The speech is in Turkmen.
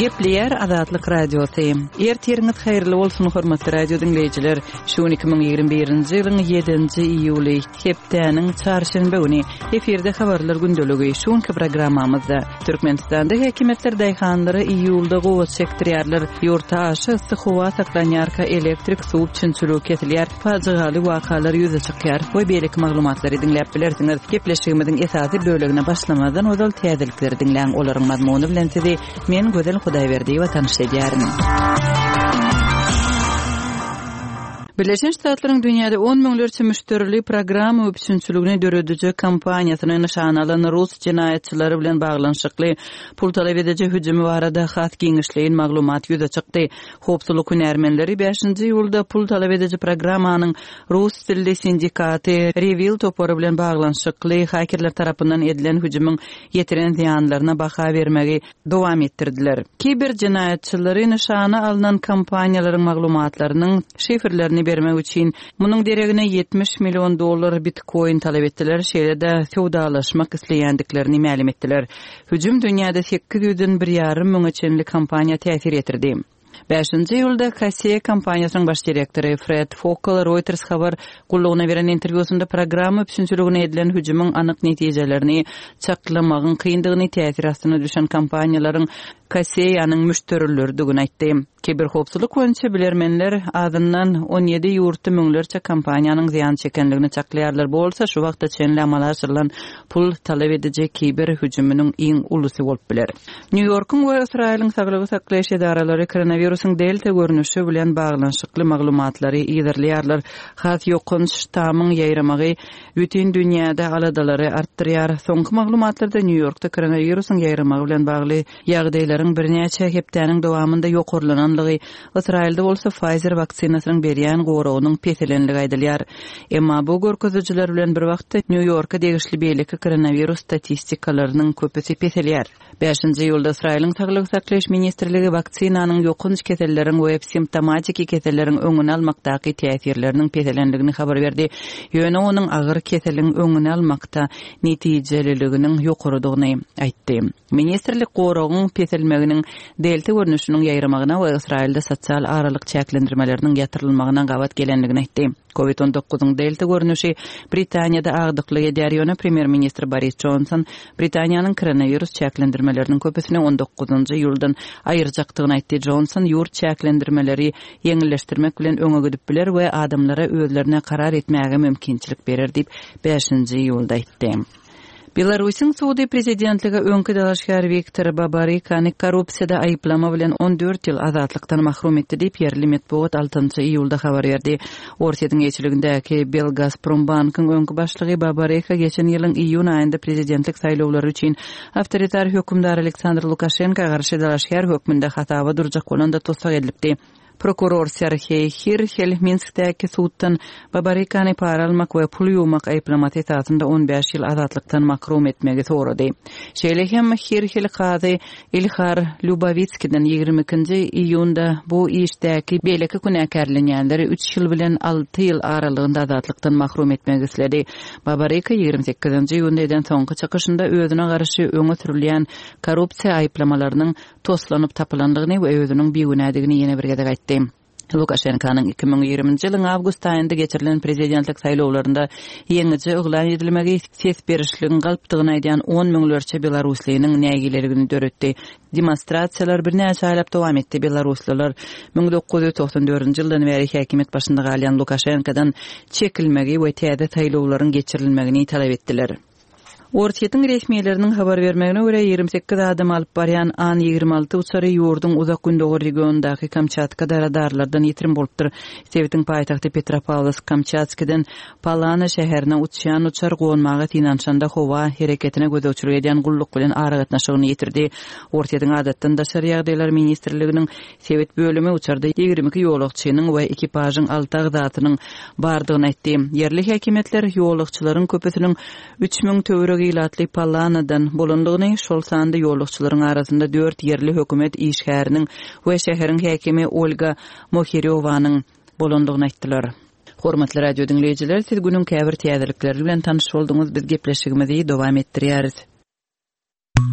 Gepleýär Azatlyk Radiosy. Ertiriňiz haýyrly bolsun, hormatly radio diňleýjiler. Şu gün 2021-nji ýylyň 7-nji iýuly, hepdäniň çarşenbe güni. Efirde habarlar gündeligi. Şu günki programmamyzda Türkmenistanda häkimiýetler daýhanlara iýulda gowaça çekdirýärler. Ýurtda aşa yssy howa saklanýarka elektrik, suw üpjünçiligi kesilýär, pajygaly wakalar ýüze çykýar we beýleki maglumatlary diňläp bilersiňiz. Gepleşigimiziň esasy bölegine başlamazdan ozal täzelikleri diňläň, olaryň mazmuny bilen sizi men Gözel Hudaýberdiýewa tanyş edýärin. Birleşen Ştatlaryň dünýäde on müňlerçe müşderili programma üpjünçiligini dörediji kompaniýasyny nyşana alan rus jenaýatçylary bilen baglanyşykly pul talap ediji hüjümi barada has giňişleýin maglumat ýüze çykdy. Howpsuzlyk hünärmenleri bäşinji iýulda pul talap ediji programmanyň rus dilli sindikaty REvil topary bilen baglanyşykly hakerler tarapyndan edilen hüjümiň ýetiren zyýanlaryna baha bermegi dowam etdirdiler. Kiber jenaýatçylary nyşana alnan kompaniýalaryň maglumatlarynyň şifrlerini bermek üçin munuň deregine 70 million dollar bitkoin talap etdiler, şeýle-de söwdalaşmak isleýändiklerini mälim etdiler. Hüjüm dünýäde sekiz ýüzden bir ýarym müňe çenli kompaniýa täsir ýetirdi. Bäşinji iýulda Kaseya kompaniýasynyň baş direktory Fred Fokel Reuters habar gullugyna beren interwýusynda programma üpjünçiligine edilen hüjümiň anyk netijelerini çaklamagyň kyndygyny, täsir astyna düşen kompaniýalaryň Kaseýanyň müşderileridigini aýtdy. Kiberhowpsuzlyk boýunça bilermenler azyndan 17 ýurtda müňlerçe kompaniýanyň zyýan çekendigini çaklaýarlar, bu bolsa şu wagta çenli amala aşyrylan pul talap ediji kiber hüjüminiň iň ulusy bolup biler. Nýu-Ýorkuň we Ysraýylyň saglygy saklaýyş edaralary koronawirusyň Delta görnüşi bilen baglanyşykly maglumatlary yzarlaýarlar. Has ýokanç ştamyň ýaýramagy bütin dünýäde aladalary artdyrýar. Soňky maglumatlarda Nýu-Ýorkda koronawirusyň ýaýramagy bilen bagly ýagdaýlaryň birnäçe hepdäniň dowamynda ýokarlananlygy, Ysraýylda bolsa Pfizer waksinasynyň berýän goragynyň peselenligi aýdylýar. Emma bu görkezijiler bilen bir wagtda Nýu-Ýorka degişli beýleki koronawirus statistikalarynyň köpüsi peselýär. Bäşinji iýulda Ysraýylyň Saglygy saklaýyş ministrligi waksinanyň ýokanç keselleriň we simptomatiki keselleriň öňüni almakdaky täsirleriniň peselendigini habar berdi, ýöne onuň agyr keseliň öňüni almakda netijeliliginiň ýokarydygyny aýtdy. Ministrlik goragyň peselmeginiň delta görnüşiniň ýaýramagyna we Ysraýylda sosial aralyk çäklendirmeleriniň ýatyrylmagyna gabat gelendigini aýtdy. Covid on dokuzyň delta görnüşi Britaniýada agdyklyk edýär, ýöne premýer-ministr Boris Jonson Britaniýanyň koronawirus çäklendirmeleriniň köpüsini on dokuzynjy iýuldan aýyrjakdygyny aýtdy. Jonson ýurt çäklendirmeleri ýeňilleşdirmek bilen öňe gidip biler we adamlara özlerine karar etmäge mümkinçilik berer diýip, bäşinji iýulda aýtdy. Belarusyň sudy prezidentlige öňki dalaşgär Wiktor Babarykany korrupsiýada aýyplama bilen 14 ýyl azatlykdan mahrum etdi diýip, ýerli metbugat altynjy iýulda habar berdi. Orsýetiň eýeçiligindäki Belgazprombankyň öňki başlygy Babaryka geçen ýylyň iýun aýynda prezidentlik saýlawlary üçin awtoritar hökümdar Aleksandr Lukaşenka garşy dalaşgär hökmünde hasaba durjak bolanda tussag edilipdi. Prokuror Serheý Hirhel Minskdäki suddan Babarykany para almak we pul ýuwmak aýyplamasy esasynda 15 ýyl azatlykdan makrum etmegi sorady. Şeýle hem Hirhel kazy Ilhar Lýubawitskiden 22-nji iýunda bu işdäki beýleki günäkärlenýänleri üç ýyl bilen alty ýyl aralygynda azatlykdan mahrum etmegi isledi. Babaryka 28-nji iýunda eden soňky çykyşynda özüne garşy öňe sürülýän korrupsiýa aýyplamalarynyň toslanyp tapylandygyny we özüniň bigünädigini ýene bir gezek aýtdy. Lukaşenkanyň 2020-nji ýylyň awgust aýynda geçirilen prezidentlik saýlawlarynda ýeňiji yglan edilmegi ses berişligiň galpdygyny aýdýan on müňlerçe belaruslynyň nägileligini döretdi. Demonstrasiýalar birnäçe aýlap dowam etdi, belaruslylar 1994-nji ýyldan bäri häkimiýet başynda galýan Lukaşenkadan çekilmegi we täze saýlawlaryň geçirilmegini talap etdiler. Orsýetiň resmileriniň habar bermegine görä, 28 adamy alyp barýan An 26 uçary ýurduň Uzak Gündogar regionyndaky Kamçatkada radarlardan ýitirim bolupdyr. Sebitiň paýtagty Petropawlowsk-Kamçatskiden Palana şäherine uçýan uçar gonmaga synanyşanda howa hereketine gözegçilik edýän gulluk bilen aragatnaşygyny ýitirdi. Orsýetiň Adatdan daşary ýagdaýlar ministrliginiň Sebit bölümi uçarda 22 ýolagçynyň we ekipažyň alty agzasynyň bardygyny aýtdy. Ýerli häkimiýetler ýolagçylaryň köpüsiniň 3000 töweregi ilatly Palanadan bolandygyny, şol sanda ýolagçylaryň arasynda dört ýerli hökümet işgäriniň we şäheriň häkimi Olga Mohirýowanyň bolandygyny aýtdylar. Hormatly radio diňleýjiler, siz günüň käbir täzelikleri bilen tanyş bolduňyz, biz gepleşigimizi dowam etdirýäris.